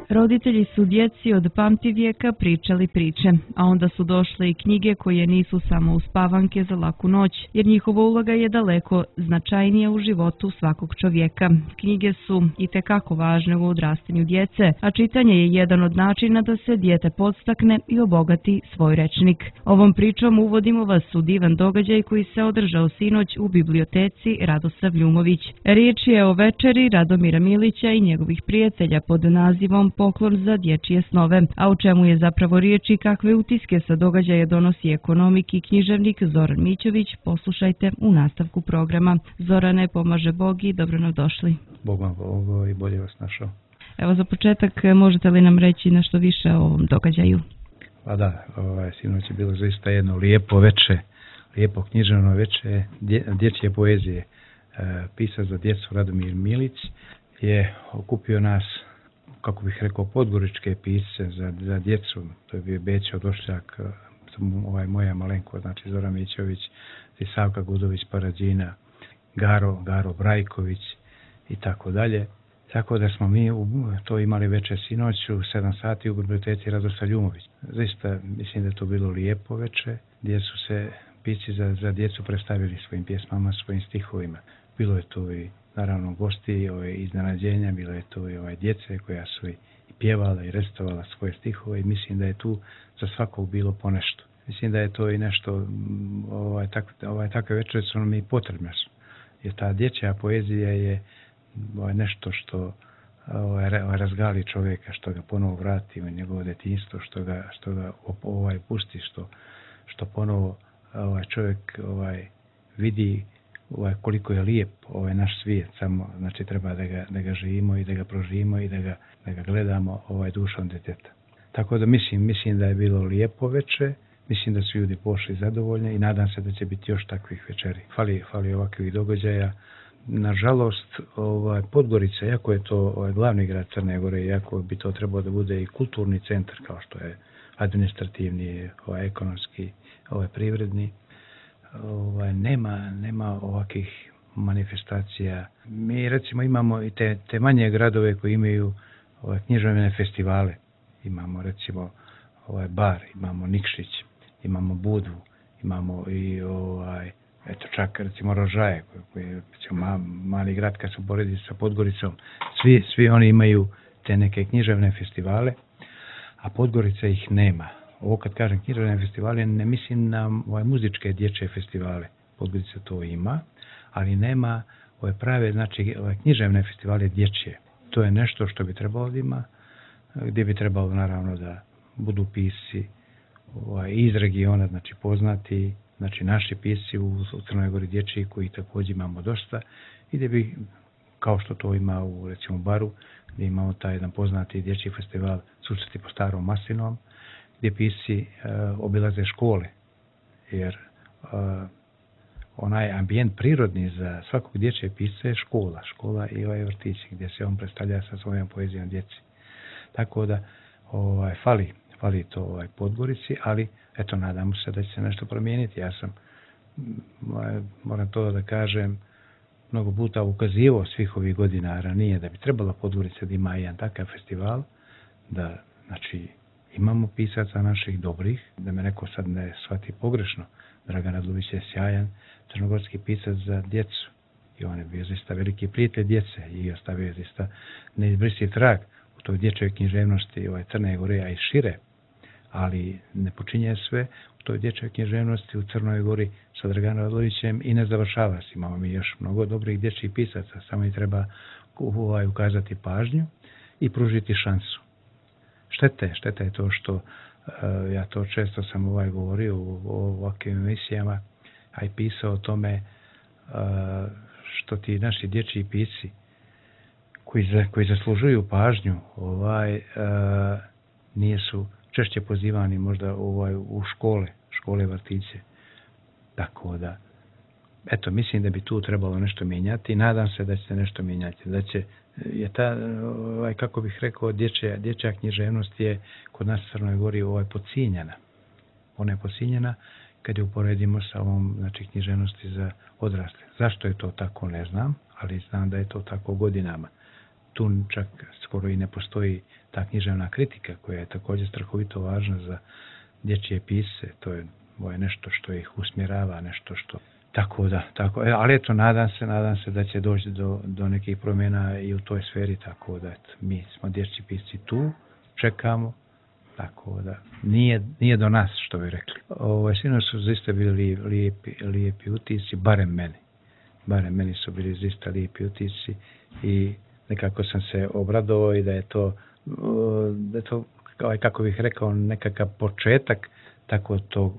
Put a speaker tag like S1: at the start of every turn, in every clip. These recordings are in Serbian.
S1: Roditelji su djeci od pamtivijeka pričali priče, a onda su došle i knjige koje nisu samo uspavanke za laku noć, jer njihova uloga je daleko značajnija u životu svakog čovjeka. Knjige su itekako važne u odrastanju djece, a čitanje je jedan od načina da se dijete podstakne i obogati svoj rečnik. Ovom pričom uvodimo vas u divan događaj koji se održao sinoć u biblioteci Radosav Ljumović. Riječ je o večeri Radomira Milića i njegovih prijatelja pod nazivom Poklon za dječje snove, a u čemu je zapravo riječ i kakve utiske sa događaja donosi ekonomik i književnik Zoran Mićović, poslušajte u nastavku programa. Zorane, pomaže Bog i dobro nam došli.
S2: Bog vam pomogao i bolje vas našao.
S1: Evo za početak, možete li nam reći nešto više o ovom događaju?
S2: Pa da, sinoć je bilo zaista jedno lijepo veče, lijepo književno veče dječje poezije. Pisac za djecu Radomir Milić je okupio nas, kako bih rekao, podgoričke pisce za djecu. To je bio Bećo Došljak, moja malenko, znači Zoran Mićović, Savka Gudović Parađina, Garo Brajković i tako dalje. Tako da smo mi to imali večer sinoć u 7 sati u biblioteci Radosav Ljumović. Zaista mislim da je to bilo lijepo večer, gdje su se pisci za djecu predstavili svojim pjesmama, svojim stihovima. Bilo je tu i naravno gosti, iznenađenja, bilo je tu i djece koja su i pjevala i recitovala svoje stihove i mislim da je tu za svakog bilo ponešto. Mislim da je to i nešto, takve večeri su nam i potrebne. Jer ta dječja poezija je nešto što razgali čovjeka, što ga ponovo vrati u njegovo djetinjstvo, što ga pusti, što ponovo čovjek vidi koliko je lijep naš svijet, samo znači treba da ga živimo i da ga proživimo i da ga gledamo dušom djeteta. Tako da mislim da je bilo lijepo večer, mislim da su ljudi pošli zadovoljni i nadam se da će biti još takvih večeri. Fali ovakvih događaja. Nažalost, Podgorica, iako je to glavni grad Crne Gore, iako bi to trebalo da bude i kulturni centar kao što je administrativni, ekonomski, privredni, nema ovakvih manifestacija. Mi recimo imamo i te manje gradove koji imaju književne festivale. Imamo recimo Bar, imamo Nikšić, imamo Budvu, imamo i čak recimo Rožaje, koji je mali grad kad se uporedi sa Podgoricom. Svi oni imaju te neke književne festivale, a Podgorica ih nema. Ovo kad kažem književne festivale, ne mislim na muzičke dječje festivale. Podgorica to ima, ali nema prave, znači književne festivale dječje. To je nešto što bi trebalo da ima, gdje bi trebalo naravno da budu pisci iz regiona, znači poznati, znači naši pisci u Crnoj Gori dječji, koji također imamo dosta, i gdje bi, kao što to ima u recimo Baru, gdje imamo taj jedan poznati dječji festival Susreti po Starom Maslinovom, gdje pisci obilaze škole, jer onaj ambijent prirodni za svakog dječjeg pisca je škola i vrtići, gdje se on predstavlja sa svojom poezijom djeci. Tako da fali to Podgorici, ali eto, nadamo se da će se nešto promijeniti. Ja sam, moram to da kažem, mnogo puta ukazivao svih ovih godina ranije da bi trebala Podgorica da ima jedan takav festival, da znači imamo pisaca naših dobrih, da me neko sad ne shvati pogrešno. Dragan Radlović je sjajan crnogorski pisac za djecu i on je bio zaista veliki prijatelj djece i ostavio je zaista neizbrisiv trag u toj dječjoj književnosti Crne Gore, a i šire, ali ne počinje sve u toj dječjoj književnosti u Crnoj Gori sa Draganom Radlovićem i ne završava se. Imamo mi još mnogo dobrih dječjih pisaca, samo i treba ukazati pažnju i pružiti šansu. Šteta je to što, ja to često sam govorio u ovakvim emisijama, a i pisao o tome što ti naši dječji pisci koji zaslužuju pažnju nisu češće pozivani možda u škole vrtiće. Tako da, eto, mislim da bi tu trebalo nešto mijenjati i nadam se da će se nešto mijenjati. Da će, je ta, kako bih rekao, dječja književnost je kod nas u Crnoj Gori podcijenjena. Ona je podcijenjena kad je uporedimo sa ovom, znači, književnosti za odrasle. Zašto je to tako, ne znam, ali znam da je to tako godinama. tu čak skoro i ne postoji ta književna kritika koja je također strahovito važna za dječje pisce. To je nešto što ih usmjerava, nešto što... ali eto, nadam se da će doći do nekih promjena i u toj sferi, tako da eto, mi smo dječji pisci tu, čekamo, tako da nije do nas, što bi rekli. Sinoć su zaista bili lijepi utisci, barem meni su bili zaista lijepi utisci i nekako sam se obradovao i da je to kako bih rekao, nekakav početak tako tog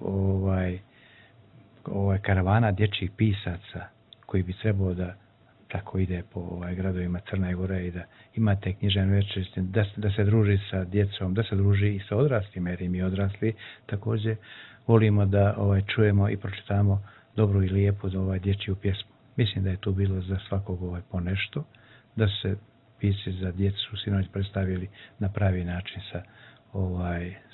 S2: karavana dječjih pisaca koji bi trebao da tako ide po gradovima Crne Gore i da imate književne večeri, da se druži sa djecom, da se druži i sa odraslima, jer i mi odrasli također volimo da čujemo i pročitamo dobru i lijepu dječju pjesmu. Mislim da je tu bilo za svakog po nešto, da se pisci za djecu sinoć predstavili na pravi način sa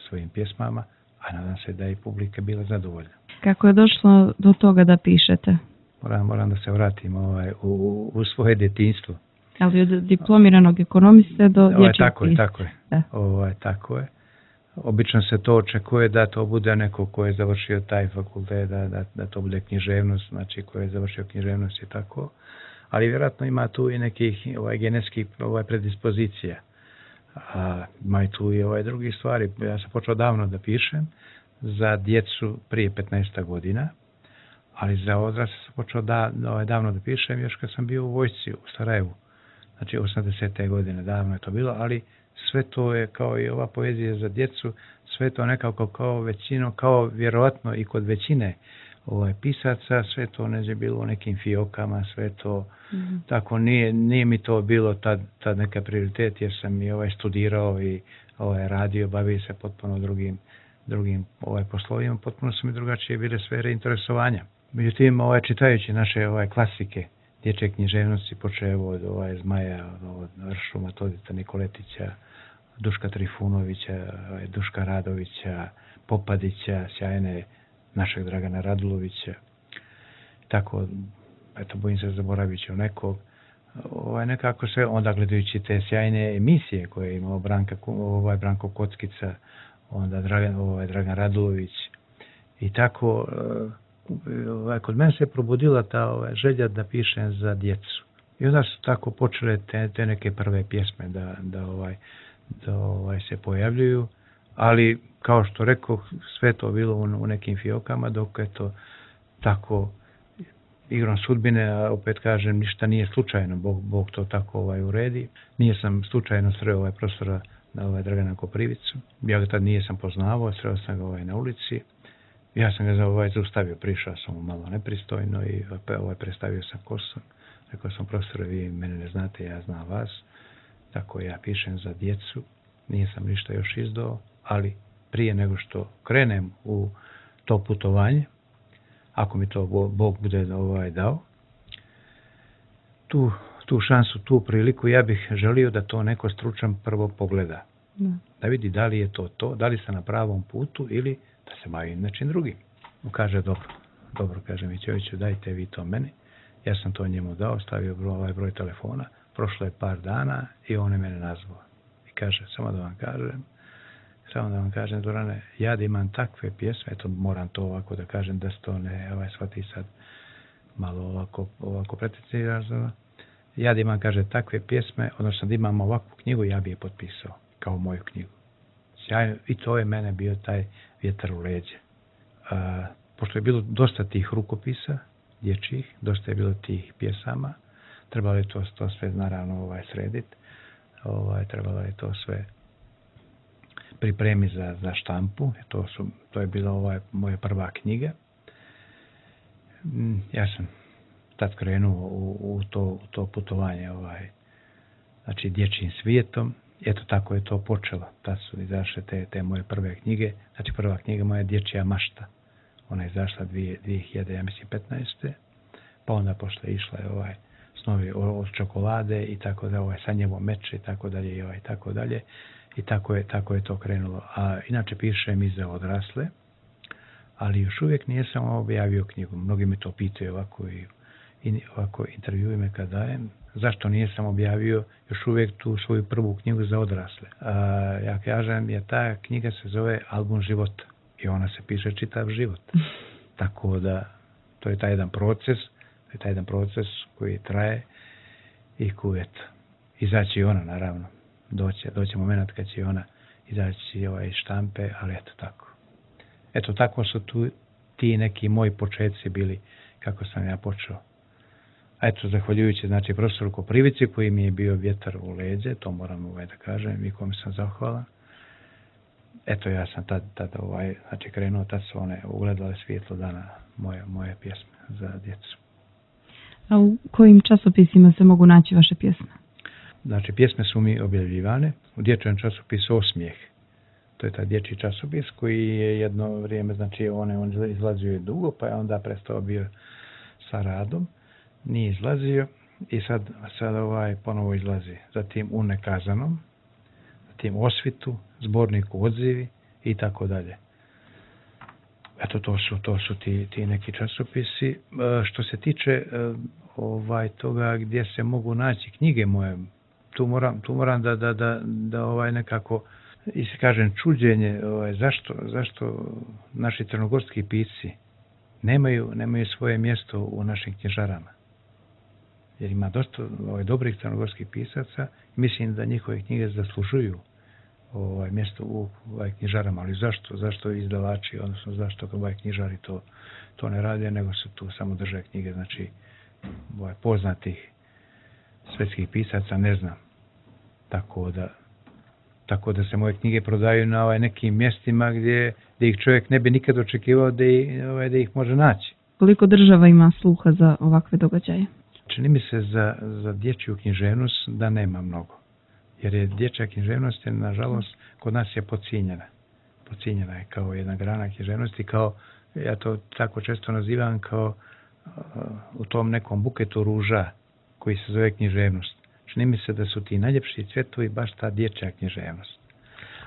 S2: svojim pjesmama, a nadam se da je publika bila zadovoljna.
S1: Kako je došlo do toga da pišete?
S2: Moram da se vratim u svoje djetinjstvo.
S1: Ali od diplomiranog ekonomiste do dječjeg pisca.
S2: Tako je. Obično se to očekuje da to bude neko ko je završio taj fakultet, da to bude književnost, znači ko je završio književnost i tako. Ali vjerojatno ima tu i nekih genetskih predispozicija. Ima i tu i drugi stvari. Ja sam počeo davno da pišem za djecu prije 15 godina, ali za odrasle sam počeo davno da pišem još kad sam bio u vojsci u Sarajevu. Znači 80. godine, davno je to bilo, ali sve to je kao i ova poezija za djecu, sve to nekako kao vjerojatno i kod većine pisaca, sve to neđe bilo u nekim fiokama, sve to tako nije mi to bilo tad neka prioritet, jer sam i studirao i radio, bavio se potpuno drugim poslovima, potpuno su mi drugačije bile sfere interesovanja. Međutim, čitajući naše klasike dječje književnosti, počeo od Zmaja, od Ršuma, Todita Nikoletića, Duška Trifunovića, Duška Radovića, Popadića, sjajne našeg Dragana Radulovića. Tako, eto, bojim se zaboravit ću nekog. Nekako sve, onda gledajući te sjajne emisije koje je imao Branko Kockica, onda Dragan Radulović. I tako, kod mene se probudila ta želja da pišem za djecu. I onda su tako počele te neke prve pjesme da se pojavljuju, ali kao što rekao, sve to bilo u nekim fiokama, dok je to tako igrom sudbine, a opet kažem, ništa nije slučajno, Bog to tako uredi. Nije sam slučajno sreo profesora Dragana Koprivicu, ja ga tad nisam poznavao, sreo sam ga na ulici. Ja sam ga zaustavio, prišao sam mu malo nepristojno i predstavio sam ko sam. Rekao sam, profesore, vi mene ne znate, ja znam vas. Tako ja pišem za djecu, nisam ništa još izdao, ali prije nego što krenem u to putovanje, ako mi to Bog bude dao, tu šansu, tu priliku, ja bih želio da to neko stručan prvo pogleda. Da vidi da li je to, da li sam na pravom putu ili da se bavim nečim drugim. Kaže, dobro, kaže Mićeviću, dajte vi to meni. Ja sam to njemu dao, stavio broj telefona, prošlo je par dana i on je mene nazvao. I kaže, samo da vam kažem, Zorane, ja da imam takve pjesme, eto moram to ovako da kažem, da se to ne shvati sad malo ovako precizirano. Ja da imam, kaže, takve pjesme, odnosno da imam ovakvu knjigu, ja bi je potpisao kao moju knjigu. Sjajno, i to je mene bio taj vjetar u leđe. Pošto je bilo dosta tih rukopisa dječjih, dosta je bilo tih pjesama, trebalo je to sve naravno srediti, trebalo je to sve pripremiti za štampu, to je bila moja prva knjiga. Ja sam tad krenuo u to putovanje znači dječjim svijetom. Eto tako je to počelo. Tad su izašle te moje prve knjige. Znači prva knjiga moja Dječja mašta. Ona je izašla 2015. Pa onda posle išla je Snovi od čokolade i tako da Sanjevo meče i tako dalje i tako dalje. I tako je to krenulo. A inače pišem i za odrasle, ali još uvijek nisam objavio knjigu. Mnogi me to pitaju ovako intervjuje me kad dajem. zašto nisam objavio još uvijek tu svoju prvu knjigu za odrasle. Ja kažem, jer ta knjiga se zove Album života i ona se piše čitav život. Tako da, to je taj jedan proces koji traje i koji, eto, izaći ona, naravno. Doće moment kad će ona izaći iz štampe, ali eto tako. Eto, tako su tu ti neki moji početci bili kako sam ja počeo. A eto, zahvaljujući, znači, profesoru Koprivici koji mi je bio vjetar u leđe, to moram da kažem i kome sam zahvalan. Eto, ja sam tad znači, krenuo, tad su one ugledale svjetlo dana moje pjesme za djecu.
S1: A u kojim časopisima se mogu naći vaše pjesme?
S2: Znači, pjesme su mi objavljivane u dječjem časopisu Osmijeh. To je taj dječji časopis koji je jedno vrijeme, znači, on izlazio je dugo, pa je onda prestao bio sa radom. Nije izlazio i sad ponovo izlazi. Zatim u Nekazanom, zatim Osvitu, zborniku Odzivi i tako dalje. Eto, to su ti neki časopisi. Što se tiče toga gdje se mogu naći knjige moje, tu moram da nekako kažem čuđenje, zašto naši crnogorski pisci nemaju svoje mjesto u našim knjižarama. Jer ima dosta dobrih crnogorskih pisaca i mislim da njihove knjige zaslužuju mjesto u knjižarama. Ali zašto izdavači, odnosno zašto knjižari to ne rade, nego se tu samo drže knjige, znači poznatih svetskih pisaca, ne znam. Tako da se moje knjige prodaju na nekim mjestima gdje ih čovjek ne bi nikad očekivao da ih može naći.
S1: Koliko država ima sluha za ovakve događaje?
S2: Čini mi se za dječju književnost da nema mnogo. Jer je dječja književnost, nažalost, kod nas je podcijenjena. Podcijenjena je kao jedna grana književnosti, kao, ja to tako često nazivam, kao u tom nekom buketu ruža koji se zove književnost. Čini mi se da su ti najljepši cvjetovi baš ta dječja književnost.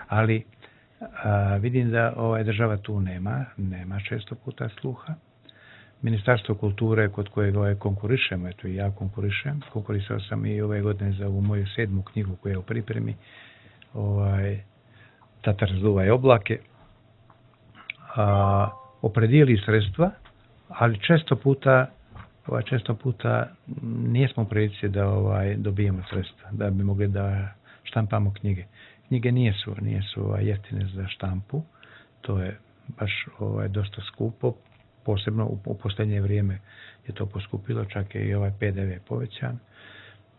S2: Ali vidim da država tu nema često puta sluha. Ministarstvo kulture kod kojeg konkurišemo, eto i ja konkurisao sam i ove godine za ovu moju 7. knjigu koja je u pripremi, Tatar zduvaj oblake, opredijeli sredstva, ali često puta nismo u prilici da dobijemo sredstva, da bi mogli da štampamo knjige. Knjige nisu jeftine za štampu, to je baš dosta skupo, posebno u posljednje vrijeme je to poskupilo, čak je i PDV povećan,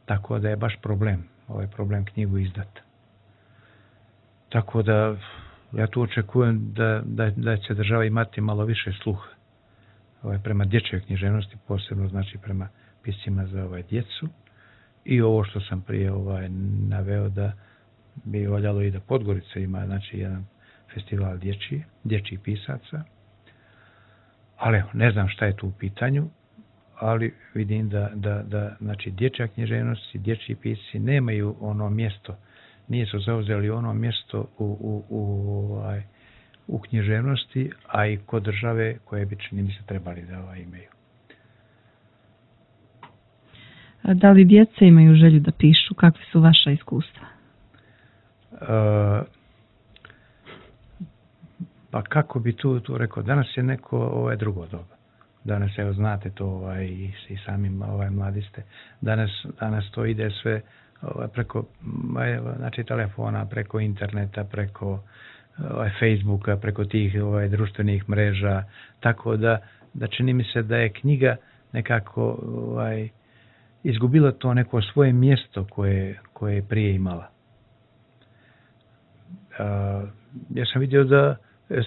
S2: tako da je baš problem knjigu izdati. Tako da ja tu očekujem da će država imati malo više sluha prema dječjoj književnosti, posebno znači prema piscima za djecu. I ovo što sam prije naveo da bi voljalo i da Podgorica ima znači jedan festival dječjih pisaca. Ali ne znam šta je tu u pitanju, ali vidim da znači dječja književnost i dječji pisci nemaju ono mjesto, nisu zauzeli ono mjesto u književnosti, a i kod države koje bi, čini mi se, trebali da imaju.
S1: Da li djeca imaju želju da pišu? Kakve su vaša iskustva?
S2: Pa kako bi tu rekao, danas je neko drugo doba. Danas, evo znate to i samim mladi ste. Danas to ide sve preko znači telefona, preko interneta, preko Facebooka, preko tih društvenih mreža, tako da čini mi se da je knjiga nekako izgubila to neko svoje mjesto koje je prije imala. Ja sam vidio da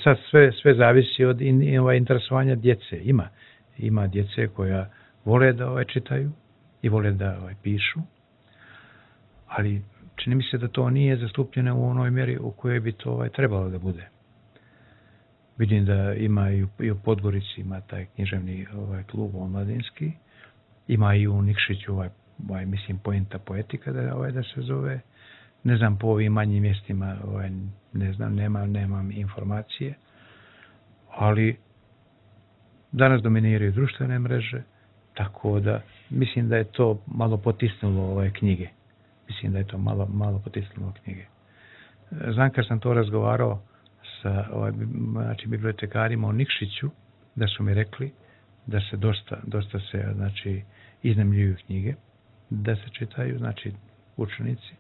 S2: sad sve zavisi od interesovanja djece. Ima djece koja vole da čitaju i vole da pišu, ali čini mi se da to nije zastupljeno u onoj mjeri u kojoj bi to trebalo da bude. Vidim da ima i u Podgorici ima taj književni klub omladinski, ima i u Nikšiću mislim Poenta poetika da se zove. Ne znam po ovim manjim mjestima, ne znam, nemam informacije, ali danas dominiraju društvene mreže, Tako da mislim da je to malo potisnulo ove knjige. Mislim da je to malo potisnulo knjige. Znam kad sam to razgovarao sa znači, bibliotekarima u Nikšiću, da su mi rekli da se dosta se znači, iznajmljuju knjige, da se čitaju, znači učenici.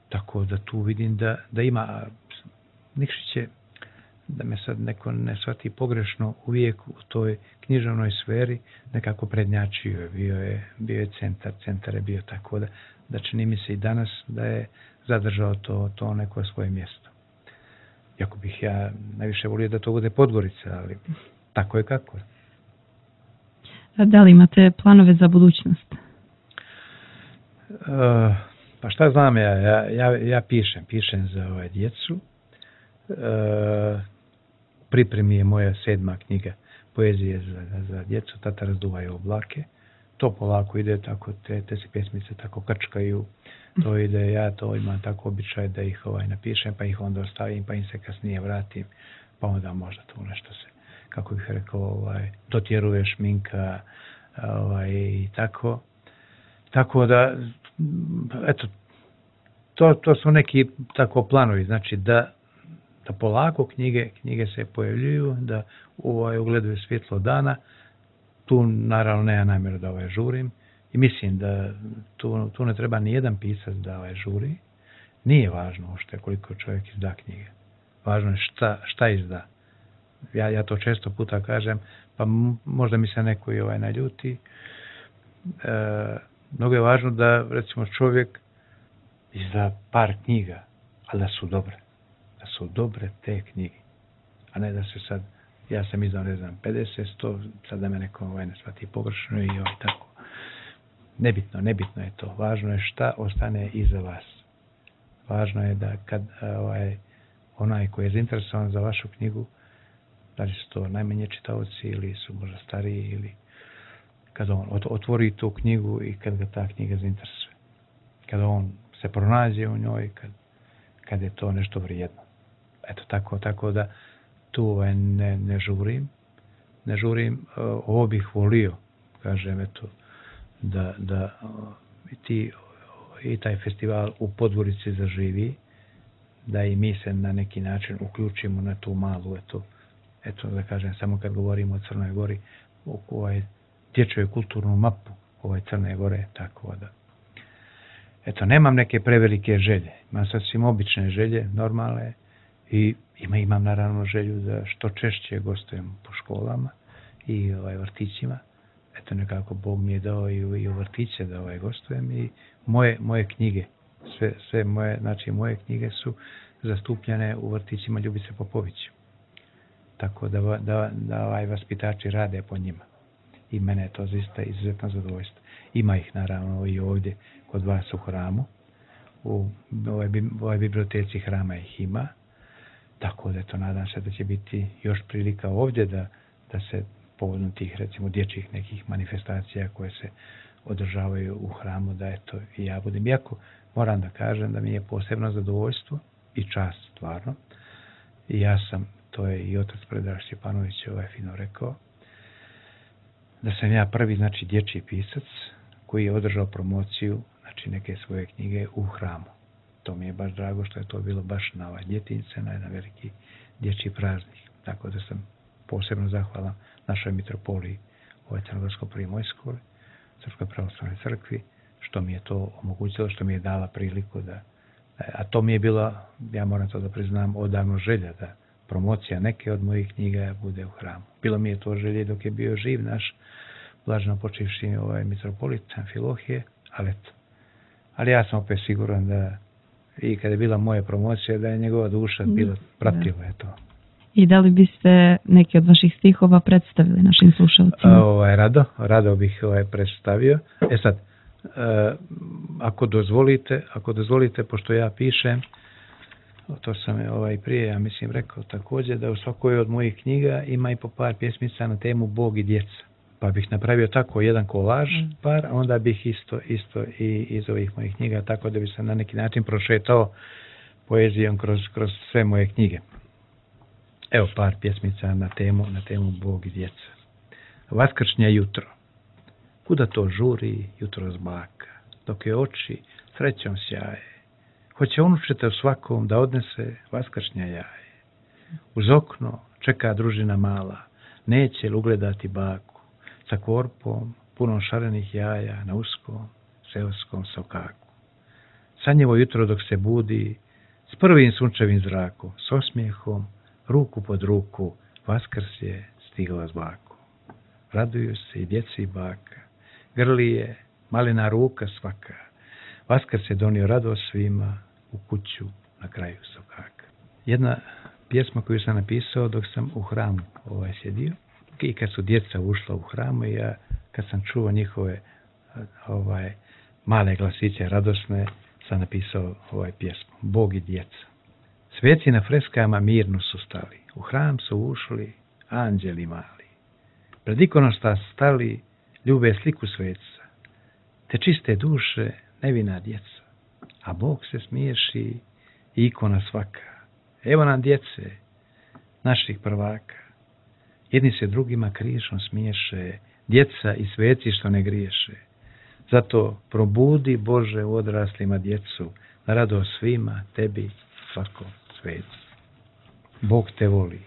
S2: Tako da tu vidim da ima Nikšić je, da me sad neko ne shvati pogrešno, uvijek u toj književnoj sferi nekako prednjačio. Bio je centar je bio, tako da čini mi se i danas da je zadržao to neko svoje mjesto. Iako bih ja najviše volio da to bude Podgorica, ali tako je kako je.
S1: A da li imate planove za budućnost?
S2: Pa šta znam ja pišem za djecu. Pripremi je moja 7. knjiga poezije za djecu, Tata razduvaju oblake. To polako ide, tako te se pjesmice tako krčkaju. To ide, ja to imam tako običaj da ih napišem, pa ih onda ostavim, pa im se kasnije vratim, pa onda možda tu nešto se, kako bih rekao, dotjeruje šminka i tako. Tako da, eto, to su neki tako planovi, znači da polako knjige se pojavljuju, da ugledaju svjetlo dana. Tu naravno nema namjeru da žurim i mislim da tu ne treba ni jedan pisac da žuri. Nije važno uopšte koliko čovjek izda knjige. Važno je šta izda. Ja to često puta kažem, pa možda mi se neko i naljuti. Mnogo je važno da recimo čovjek izda par knjiga, ali da su dobre. Da su dobre te knjige. A ne da se sad, ja sam izdao, ne znam, 50, 100, sad da me neko ne shvati pogrešno i tako. Nebitno je to. Važno je šta ostane iza vas. Važno je da kad onaj koji je zainteresovan za vašu knjigu, da li su to najmanje čitaoci ili su možda stariji, ili kad on otvori tu knjigu i kad ga ta knjiga zainteresuje. Kad on se pronađe u njoj, kad je to nešto vrijedno. Eto, tako da tu ne žurim. Ne žurim, ovo bih volio, kažem, eto, da i taj festival u Podgorici zaživi, da i mi se na neki način uključimo na tu malu, eto da kažem, samo kad govorimo o Crnoj Gori, dječju kulturnu mapu Crne Gore, tako da. Eto, nemam neke prevelike želje, imam sasvim obične želje, normalne, i imam naravno želju da što češće gostujem po školama i vrtićima. Eto, nekako Bog mi je dao i u vrtiće da gostujem, i moje knjige, sve moje, znači moje knjige su zastupljene u vrtićima Ljubice Popović. Tako da vaspitači rade po njima. I mene je to zaista izuzetno zadovoljstvo. Ima ih naravno i ovdje kod vas u hramu. U ovoj biblioteci hrama ih ima. Tako da nadam se da će biti još prilika ovdje da se povodom tih recimo dječjih nekih manifestacija koje se održavaju u hramu, da eto i ja budem. Iako moram da kažem da mi je posebno zadovoljstvo i čast stvarno. I ja sam, to je i otac Predrag Stjepanović fino rekao, da sam ja prvi, znači, dječji pisac koji je održao promociju, znači, neke svoje knjige u hramu. To mi je baš drago što je to bilo baš na Djetinjice, na jedan veliki dječji praznik. Tako da sam posebno zahvalan našoj mitropoliji Crnogorsko-primorskoj, Srpskoj pravoslavnoj crkvi, što mi je to omogućilo, što mi je dala priliku da, a to mi je bila, ja moram to da priznam, odavno želja da promocija neke od mojih knjiga bude u hramu. Bilo mi je to želje dok je bio živ naš blaženo počivši mitropolit Amfilohije, ali ja sam opet siguran da i kada je bila moja promocija, da je njegova duša bila pratila je to.
S1: I da li biste neki od vaših stihova predstavili našim slušalcima?
S2: Rado bih predstavio. Sad, ako dozvolite, pošto ja pišem, to sam prije, ja mislim, rekao također, da u svakoj od mojih knjiga ima i po par pjesmica na temu Bog i djeca. Pa bih napravio tako jedan kolaž par, a onda bih isto i iz ovih mojih knjiga, tako da bi se na neki način prošetao poezijom kroz sve moje knjige. Evo par pjesmica na temu Bog i djeca. Vaskršnje jutro. Kuda to žuri jutros baka, dok je oči srećom sjaje. Hoće unučete u svakom da odnese vaskršnja jaje. Uz okno čeka družina mala, neće li ugledati baku, sa korpom punom šarenih jaja na uskom seoskom sokaku. Sanjevo jutro dok se budi, s prvim sunčevim zrakom, s osmijehom, ruku pod ruku, Vaskrs je stigla s bakom. Raduju se i djeci i baka, grli je malena ruka svaka. Vaskrs je donio radost svima u kuću na kraju sokaka. Jedna pjesma koju sam napisao dok sam u hramu sjedio, i kad su djeca ušla u hramu, i ja kad sam čuo njihove male glasiće radosne, sam napisao pjesmu Bog i djeca. Sveci na freskama mirno su stali, u hram su ušli anđeli mali. Pred ikonosta stali, ljube sliku sveca, te čiste duše nevina djeca, a Bog se smiješi i ikona svaka. Evo nam djece, naših prvaka, jedni se drugima krišom smiješe, djeca i sveci što ne griješe. Zato probudi Bože u odraslima djecu, na radost svima, tebi, svakom svecu. Bog te voli.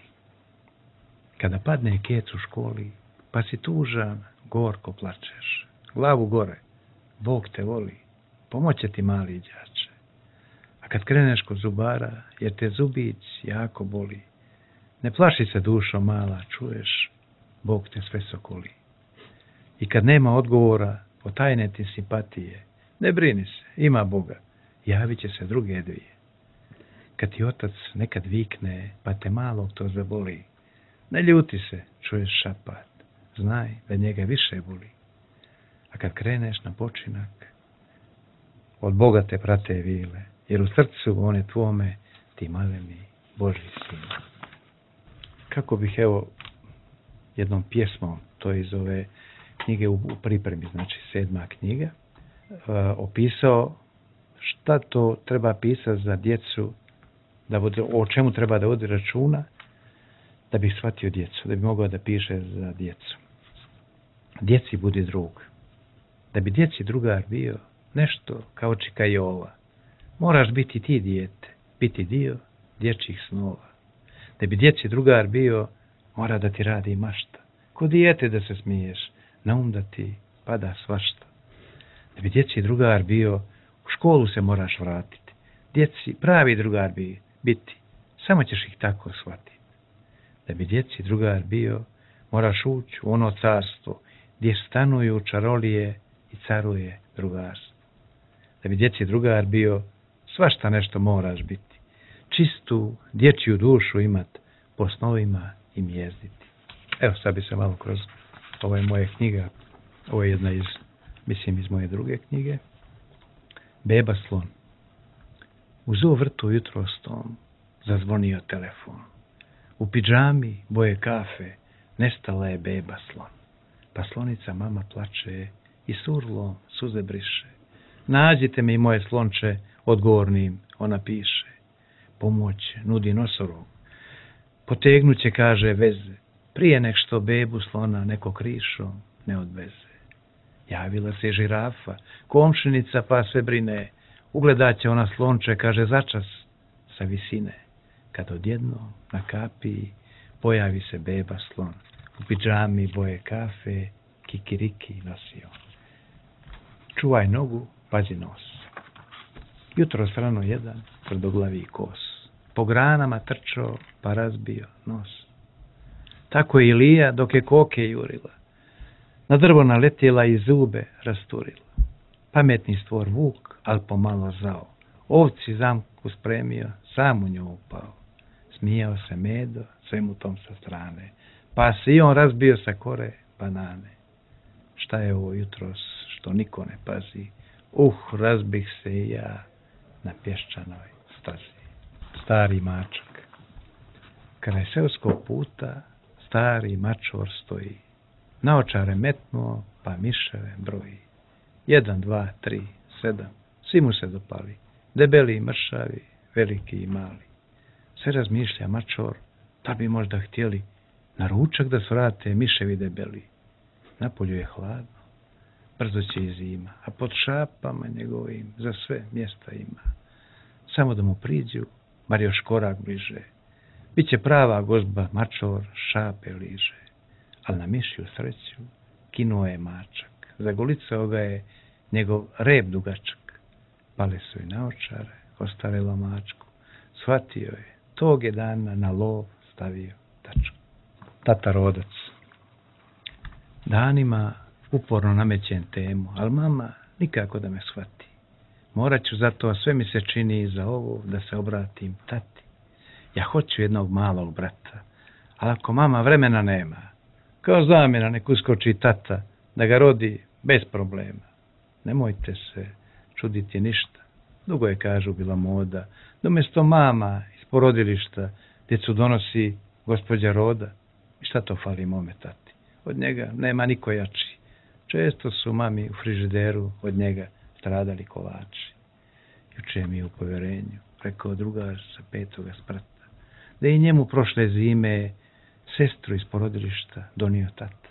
S2: Kada padne kec u školi, pa si tužan, gorko plačeš. Glavu gore, Bog te voli, pomoće ti mali đače. A kad kreneš kod zubara, jer te zubić jako boli, ne plaši se dušo mala, čuješ, Bog te sve sokoli. I kad nema odgovora, potajne ti simpatije, ne brini se, ima Boga, javit će se druge dvije. Kad ti otac nekad vikne, pa te malog to zaboli, ne ljuti se, čuješ šapat, znaj da njega više boli. A kad kreneš na počinak, od Boga te prate vile, jer u srcu one tvome ti maleni Božji sin. Kako bih jednom pjesmom, to je iz ove knjige u pripremi, znači 7. knjiga, opisao šta to treba pisati za djecu, o čemu treba da vodi računa, da bi shvatio djecu, da bi mogao da piše za djecu. Djeci budi drug. Da bi djeci drugar bio nešto kao čika Jova, moraš biti ti dijete, biti dio dječjih snova. Da bi djeci drugar bio, mora da ti radi mašta. Ko dijete da se smiješ, na um da ti pada svašta. Da bi djeci drugar bio, u školu se moraš vratiti. Djeci pravi drugar biti, samo ćeš ih tako shvatiti. Da bi djeci drugar bio, moraš ući u ono carstvo gdje stanuju čarolije i caruje drugarstvo. Da bi djeci drugar bio, svašta nešto moraš biti. Čistu dječju dušu imat, po snovima im jezditi. Evo, sad bi se malo kroz ove moje knjiga, ovo je jedna iz moje druge knjige, Beba slon. U zoo vrtu jutros tom zazvonio telefon. U pidžami boje kafe nestala je beba slon. Pa slonica mama plače i surlom suze briše. Nađite mi moje slonče, odgovornim ona piše. Pomoć nudi nosorog. Potegnuće, kaže, veze, prije nek što bebu slona neko krišom ne odveze. Javila se žirafa, komšinica pa sve brine. Ugledaće ona slonče, kaže, začas sa visine. Kad odjedno na kapiji pojavi se beba slon. U pidžami boje kafe, kikiriki nosio. Čuvaj nogu, pazi nos. Jutro rano jedan tvrdoglavi kos. Po granama trčao pa razbio nos. Tako je Ilija dok je koke jurila. Na drvo naletjela i zube rasturila. Pametni stvor vuk, al pomalo zao. Ovci zamku spremio, sam u nju upao. Smijao se Medo svemu tom sa strane. Pa se i on razbio sa kore banane. Šta je ovo jutros što niko ne pazi? Razbih se i ja na pješčanoj stazi. Stari mačak. Kraj seoskog puta stari mačor stoji. Naočare metnuo, pa miševe broji. 1, 2, 3, 7, svi mu se dopali. Debeli i mršavi, veliki i mali. Sve razmišlja mačor, da bi možda htjeli na ručak da svrate miševi debeli. Napolju je hladno, brzo će i zima, a pod šapama njegovim za sve mjesta ima. Samo da mu priđu, bar još korak bliže. Biće prava gozba, mačor, šape liže. Al na mišju sreću kinuo je mačak. Zagolicao ga je njegov rep dugačak. Pale su i naočare, ostarelo mačku. Shvatio je, tog je dana na lov stavio tačku. Tata rodac. Danima uporno namećem temu, ali mama nikako da me shvati. Morat ću zato, a sve mi se čini za ovo, da se obratim tati. Ja hoću jednog malog brata, ali ako mama vremena nema, kao zamjena nek uskoči tata, da ga rodi bez problema. Nemojte se čuditi ništa, dugo je, kažu, bila moda, da umjesto mama iz porodilišta djecu donosi gospođa roda. I šta to fali mome tati? Od njega nema niko jači. Često su mami u frižideru od njega stradali kolači. Juče mi je u povjerenju rekao drugar sa 5. sprata, da i njemu prošle zime sestru iz porodilišta donio tata.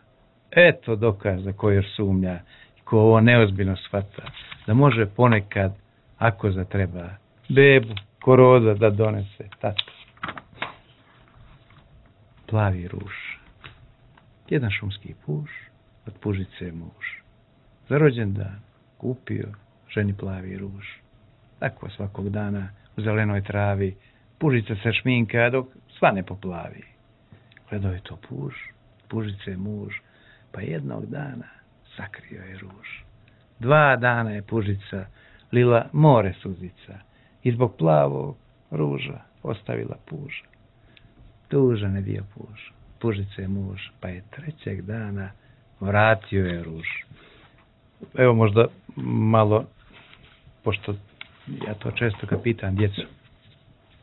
S2: Eto dokaz za koji još sumnja i ko ovo neozbiljno shvata, da može ponekad, ako zatreba, bebu ko roda da donese tata. Plavi ruž. Jedan šumski puš, od pužice muž. Za rođendan kupio ženi plavi ruž. Tako svakog dana u zelenoj travi pužica se šminka dok sva ne poplavi. Gledao je to puž, pužice muž, pa jednog dana sakrio je ruž. 2 dana je pužica lila more suzica i zbog plavog ruža ostavila puža. Tužan je bio puž, pužice muž, pa je 3. dana vratio je ruž. Evo možda malo, pošto ja to često kad pitam djecu,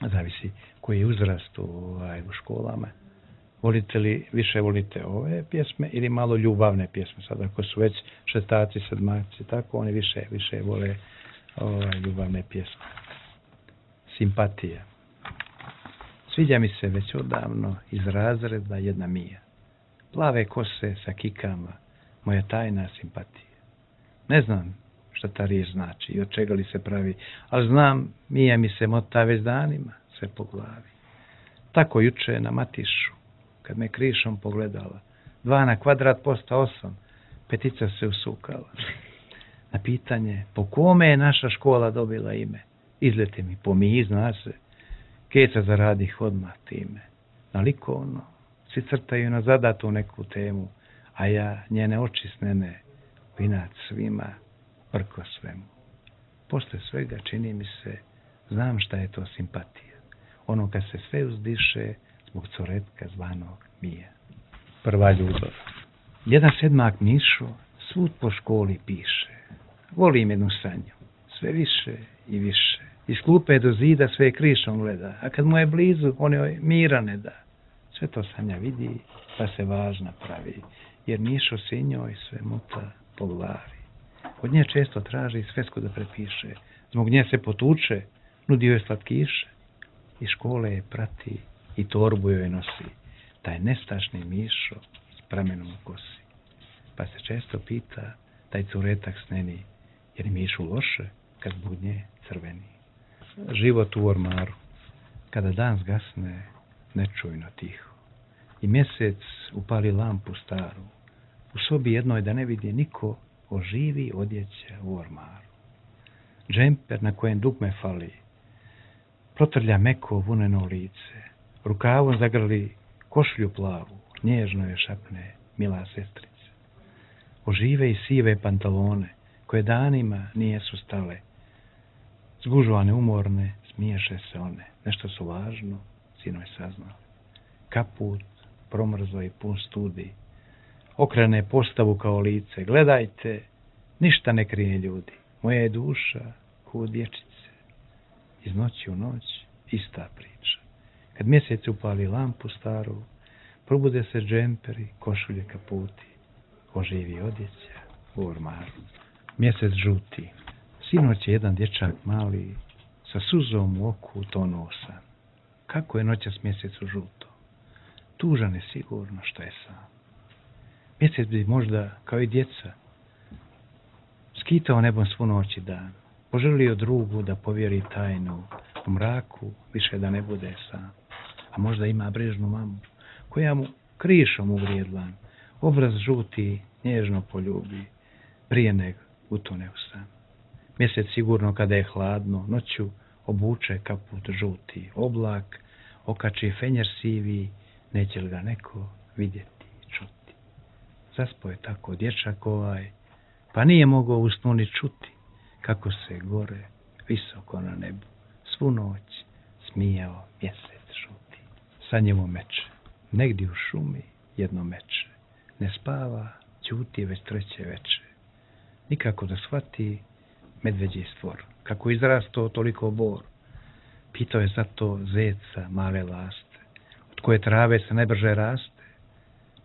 S2: zavisi koji je uzrast u školama, više volite ove pjesme ili malo ljubavne pjesme? Sad ako su već šestaci, sedmaci, tako, oni više vole ljubavne pjesme. Simpatija. Sviđa mi se već odavno iz razreda jedna Mija. Plave kose sa kikama, moja tajna simpatija. Ne znam šta ta riječ znači i od čega li se pravi, ali znam, Mija mi se mota već danima sve po glavi. Tako juče na Matišu, kad me krišom pogledala, 2 na kvadrat posta 8, 5 se usukala. Na pitanje, po kome je naša škola dobila ime? Izlete mi, po Miji, zna se. Keca zaradih odmah time. Na likovno, svi crtaju na zadatu neku temu, a ja njene oči snene, vinat svima, prko svemu. Posle svega čini mi se, znam šta je to simpatija. Ono kad se sve uzdiše zbog coretka zvanog Mija. Prva ljubav. Jedan sedmak Mišo svud po školi piše. Volim jednu Sanju, sve više i više. Iz klupe do zida sve krišom gleda, a kad mu je blizu, on joj mira ne da. Sve to Sanja vidi, pa se važna pravi, jer Mišo se njoj sve muta po glavi. Od nje često traži svesku da prepiše, zbog nje se potuče, nudi joj slatkiše. Iz škole je prati i torbu joj nosi, taj nestašni Mišo s pramenom u kosi. Pa se često pita taj curetak sneni, jer Mišu loše kad zbog nje crveni. Život u ormaru, kada dan zgasne, nečujno tiho, i mjesec upali lampu staru, u sobi jednoj da ne vidi niko, oživi odjeća u ormaru. Džemper na kojem dugme fali, protrlja meko vuneno lice, rukavom zagrli košlju plavu, nježno je šapne mila sestrice. Ožive i sive pantalone, koje danima nijesu stale, zgužvane, umorne, smiješe se one, nešto su važno, sinoj saznali. Kaput, promrzo i pun studi, okrene postavu kao lice, gledajte, ništa ne krije ljudi, moja je duša ko dječice. Iz noći u noć, ista priča. Kad mjesec upali lampu staru, probude se džemperi, košulje, kaputi, oživi odjeća u ormaru. Mjesec žuti. Sinoć je jedan dječak mali, sa suzom u oku tonuo san. Kako je noćas mjesec u žuto? Tužan je sigurno što je sam. Mjesec bi možda, kao i djeca, skitao nebom svu noć i dan, poželio drugu da povjeri tajnu, u mraku više da ne bude sam. A možda ima brižnu mamu, koja mu krišom uvrijedlan, obraz žuti nježno poljubi, prije nego utone u san. Mjesec sigurno kada je hladno, noću obuče kaput žuti, oblak okači fenjer sivi, neće li ga neko vidjeti i čuti. Zaspo je tako dječak ovaj, pa nije mogao u snu ni čuti, kako se gore, visoko na nebu, svu noć smijao mjesec žuti. Sanjevo meče, negdje u šumi jedno meče, ne spava, ćuti već treće veče. Nikako da shvati medveđi stvor, kako izrasto toliko bor. Pitao je zato zeca male laste, od koje trave se najbrže raste.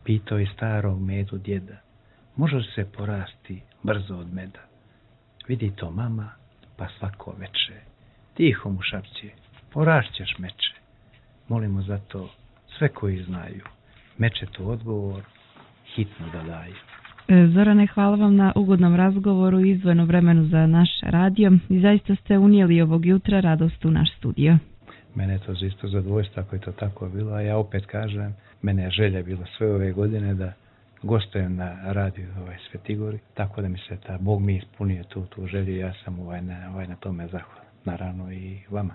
S2: Pitao je starog medu djeda, može li se porasti brzo od meda? Vidi to mama, pa svako veče, tiho mu šapće, porašćeš meče. Molimo zato sve koji znaju, meče to odgovor, hitno da daju.
S1: Zorane, hvala vam na ugodnom razgovoru i izdvojenom vremenu za naš radio i zaista ste unijeli ovog jutra radost u naš studio.
S2: Mene je to isto zadovoljstvo ako je to tako bilo, a ja opet kažem, mene je želja bila sve ove godine da gostujem na radiju Svetigori, tako da mi se Bog mi ispunio tu želju i ja sam na tome zahvalan. Naravno i vama.